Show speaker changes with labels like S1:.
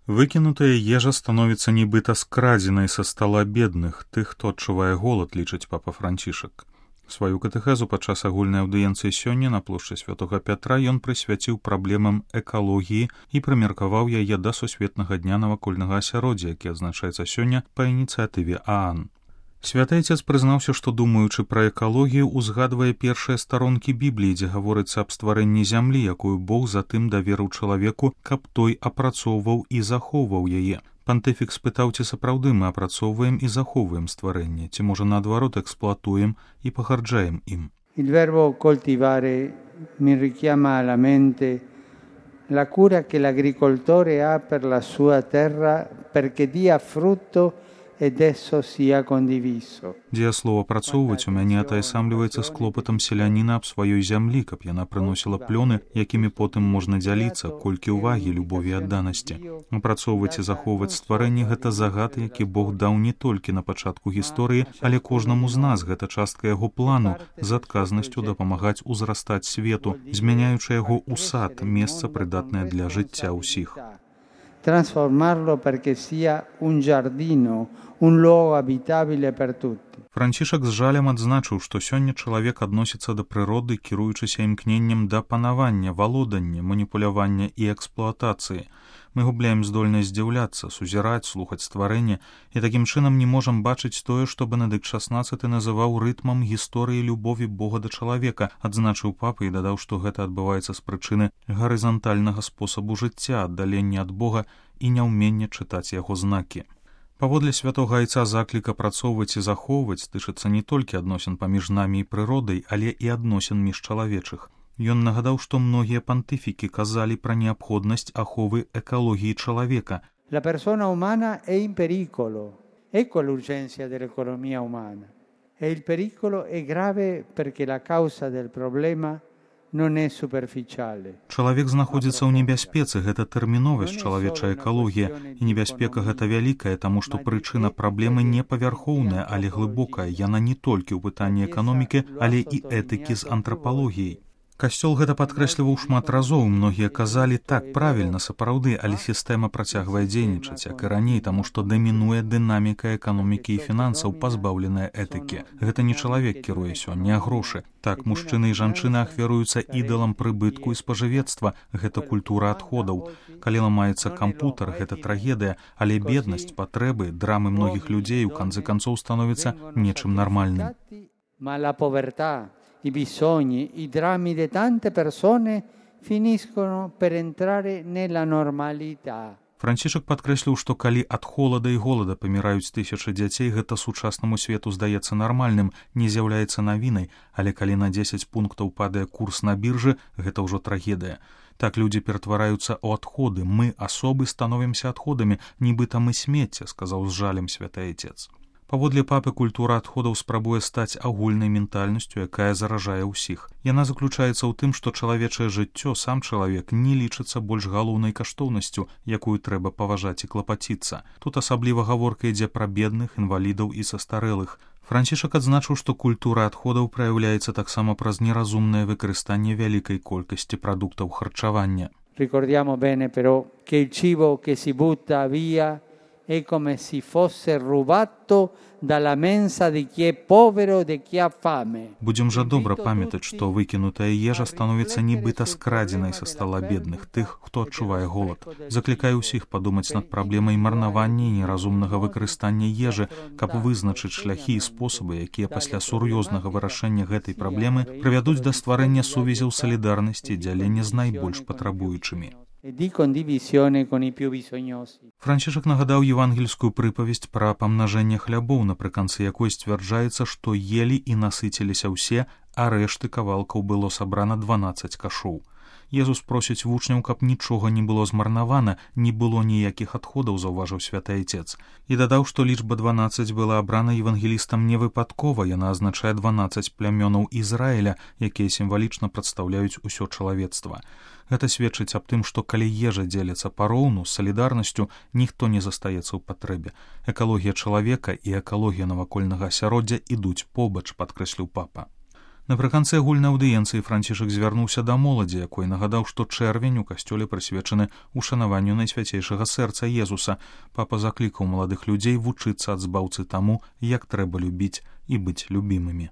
S1: Выкінутая ежа становіцца нібыта скрадзенай са стала бедных, тых, хто адчувае голад, лічыць папа Францішак. Сваю катэхезу падчас агульнай аўдыенцыі сёння на плошчы Святога Пятра ён прысвяціў праблемам экалогіі і прымеркаваў яе да сусветнага дня навакольнага асяроддзя, які адзначаецца сёння па ініцыятыве ААН. Святы Айцец прызнаўся, што, думаючы пра экалогію, узгадвае першыя старонкі Бібліі, дзе гаворыцца аб стварэнні зямлі, якую Бог затым даверыў чалавеку, каб той апрацоўваў і захоўваў яе. Пантыфік спытаў, ці сапраўды мы апрацоўваем і захоўваем стварэнне, ці, можа, наадварот, эксплуатуем і пагарджаем ім.
S2: Il verbo coltivare mi richiama alla mente la cura che l'agricoltore ha per la sua terra perché dia frutto ed esso sia condiviso.
S1: Дзеяслова «працоўваць» у мяне атаясамліваецца з клопатам селяніна аб сваёй зямлі, каб яна прыносіла плёны, якімі потым можна дзяліцца, колькі ўвагі, любові і адданасці. Апрацоўваць і захоўваць стварэнне – гэта загад, які Бог даў не толькі на пачатку гісторыі, але кожнаму з нас, гэта частка яго плану, з адказнасцю дапамагаць узрастаць свету, змяняючы яго ў сад, месца прыдатнае для жыцця ўсіх.
S2: Trasformarlo perché sia un giardino, un luogo abitabile per tutti.
S1: Францішак з жалем адзначыў, што сёння чалавек адносіцца да прыроды, кіруючыся імкненнем да панавання, валодання, маніпулявання і эксплуатацыі. Мы губляем здольнасць здзіўляцца, сузіраць, слухаць стварэнне і такім чынам не можам бачыць тое, што Бенедыкт XVI называў рытмам гісторыі любові Бога да чалавека, адзначыў папа і дадаў, што гэта адбываецца з прычыны гарызантальнага спосабу жыцця, аддалення ад Бога і няўмення чытаць яго знакі. Паводле святога Айца заклік апрацоўваць і захоўваць тычыцца не толькі адносін паміж намі і прыродай, але і адносін між чалавечых. Ён нагадаў, што многія пантыфікі казалі пра неабходнасць аховы экалогіі чалавека.
S2: La persona umana è in pericolo. Ecco l'urgenza dell'economia umana. E il pericolo è grave perché la causa del problema non è superficiale.
S1: Чалавек знаходзіцца ў небяспецы, гэта тэрміновасць чалавечая экалогія, і небяспека гэта вялікая, таму што прычына праблемы не павярхоўная, але глыбокая. Яна не толькі ў пытанні эканомікі, але і этыкі з антрапалогіяй. Касцёл гэта падкрэсліваў шмат разоў, многія казалі, так, правільна, сапраўды, але сістэма працягвае дзейнічаць, як і раней, таму што дамінуе дынаміка эканомікі і фінансаў, пазбаўленая этыкі. Гэта не чалавек кіруе сёння, а грошы. Так, мужчыны і жанчыны ахвяруюцца ідалам прыбытку і спажывецтва, гэта культура адходаў. Калі ламаецца кампутар, гэта трагедыя, але беднасць, патрэбы, драмы многіх людзей у канцы канцоў становіцца нечым нармальным.
S2: I bisogni, i drammi di tante persone finiscono per entrare nella normalità.
S1: Францішак падкрэсліў, што калі ад холада і голада паміраюць тысячы дзяцей, гэта сучаснаму свету здаецца нармальным, не з'яўляецца навінай, але калі на 10 пунктаў падае курс на біржы, гэта ўжо трагедыя. Так людзі ператвараюцца ў адходы, мы, асобы, становімся адходамі, нібыта мы смецце, сказаў з жалем святы Айцец. Паводле папы, культура адходаў спрабуе стаць агульнай ментальнасцю, якая заражае ўсіх. Яна заключаецца ў тым, што чалавечае жыццё, сам чалавек, не лічыцца больш галоўнай каштоўнасцю, якую трэба паважаць і клапаціцца. Тут асабліва гаворка ідзе пра бедных, інвалідаў і састарэлых. Францішак адзначыў, што культура адходаў праяўляецца таксама праз неразумнае выкарыстанне вялікай колькасці прадуктаў харчавання.
S2: Ricordiamo bene però che il cibo che si butta via è come se fosse rubato dalla mensa di chi è povero, di chi ha fame.
S1: Будзем жа добра памятаць, што выкінутая ежа становіцца нібыта скрадзенай са стала бедных, тых, хто адчувае голад. Заклікаю ўсіх падумаць над праблемай марнавання і неразумнага выкарыстання ежы, каб вызначыць шляхі і спосабы, якія пасля сур'ёзнага вырашэння гэтай праблемы прывядуць да стварэння сувязяў салідарнасці і дзялення з найбольш патрабуючымі. Францішак нагадаў евангельскую прыпавесць пра памнажэнне хлябоў, напрыканцы якой сцвярджаецца, што елі і насыціліся ўсе, а рэшты кавалкаў было сабрана 12 кашоў. Езус просіць вучняў, каб нічога не было змарнавана, не было ніякіх адходаў, заўважыў святы Айцец. І дадаў, што лічба 12 была абрана евангелістам не выпадкова, яна азначае 12 плямёнаў Ізраіля, якія сімвалічна прадстаўляюць усё чалавецтва. Гэта сведчыць аб тым, што калі ежа дзеліцца пароўну, з салідарнасцю, ніхто не застаецца ў патрэбе. Экалогія чалавека і экалогія навакольнага асяроддзя ідуць побач, падкрэсліў папа. Напрыканцы агульнай аўдыенцыі Францішак звярнуўся да моладзі, якой нагадаў, што чэрвень у касцёле прысвечаны ушанаванню Найсвяцейшага сэрца Езуса. Папа заклікаў маладых людзей вучыцца ад збаўцы таму, як трэба любіць і быць любімымі.